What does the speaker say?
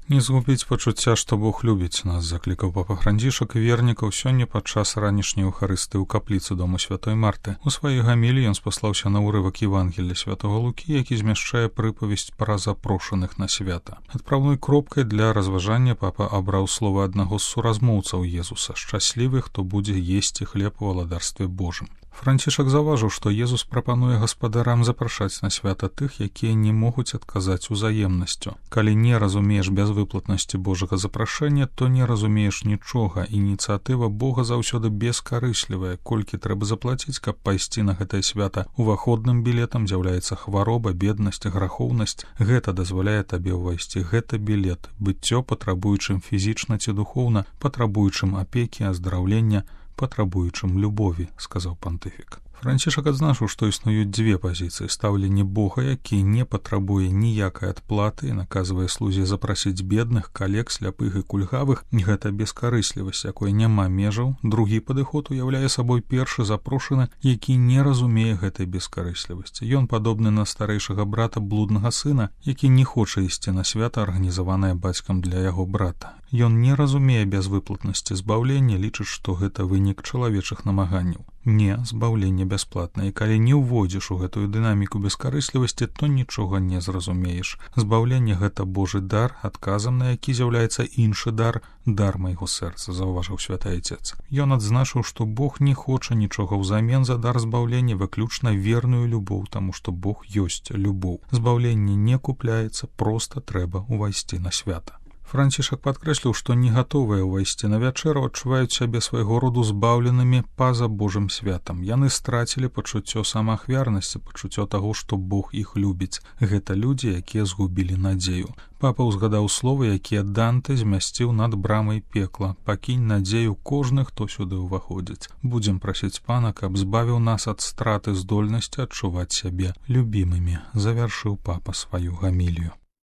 Не згубіць пачуцця, што Бог любіць нас, заклікаў папа Францішак вернікаў сёння падчас ранішняй эўхарыстыі ў капліцы дому святой Марты. У сваёй гаміліі ён спаслаўся на ўрывак Евангелля святого Лукі, які змяшчае прыпавесць пра запрошаных на свята. Адпраўной кропкай для разважання папа абраў словы аднаго з суразмоўцаў Езуса: «Шчаслівы, хто будзе есці хлеб у валадарстве Божым». Францішак заўважыў, што Езус прапануе гаспадарам запрашаць на свята тых, якія не могуць адказаць узаемнасцю. Калі не разумееш бязвыплатнасці Божага запрашэння, то не разумееш нічога. Ініцыятыва Бога заўсёды бескарыслівая. Колькі трэба заплаціць, каб пайсці на гэтае свята? Уваходным білетам з'яўляецца хвароба, беднасць, грахоўнасць. Гэта дазваляе табе ўвайсці. Гэта білет. Быццё патрабуючым фізічна ці духоўна, патрабуючым апекі, аздараўлення, патрабуючым любові, сказаў пантыфік. Францішак адзначыў, што існуюць дзве пазіцыі: стаўленне Бога, які не патрабуе ніякай адплаты і наказвае слузе запрасіць бедных, калек, сляпых і кульгавых. Гэта бескарыслівасць, якой няма межаў. Другі падыход уяўляе сабой першы запрошаны, які не разумее гэтай бескарыслівасці. Ён падобны на старэйшага брата блуднага сына, які не хоча ісці на свята, арганізаванае бацькам для яго брата. Ён не разумее бязвыплатнасці збаўлення, лічыць, што гэта вынік чалавечых намаганняў. Не, збаўленне бясплатна, і калі не ўводзіш у гэтую дынаміку бескарыслівасці, то нічога не зразумееш. Збаўленне — гэта Божы дар, адказам на які з'яўляецца іншы дар, дар майго сэрца, заўважыў святы Айцец. Ён адзначыў, што Бог не хоча нічога ўзамен за дар збаўлення, выключна верную любоў, таму што Бог ёсць любоў. Збаўленне не купляецца, проста трэба ўвайсці на свята. Францішак падкрэсліў, што не гатовыя ўвайсці на вячэру адчуваюць сябе свайго роду збаўленымі па-за Божым святам. Яны страцілі пачуццё самаахвярнасці, пачуццё таго, што Бог іх любіць. Гэта людзі, якія згубілі надзею. Папа ўзгадаў словы, якія Данте змясціў над брамай пекла: «Пакінь надзею кожны, хто сюды ўваходзіць». Будзем прасіць Пана, каб збавіў нас ад страты здольнасці адчуваць сябе любімымі, завяршыў папа сваю гамілію.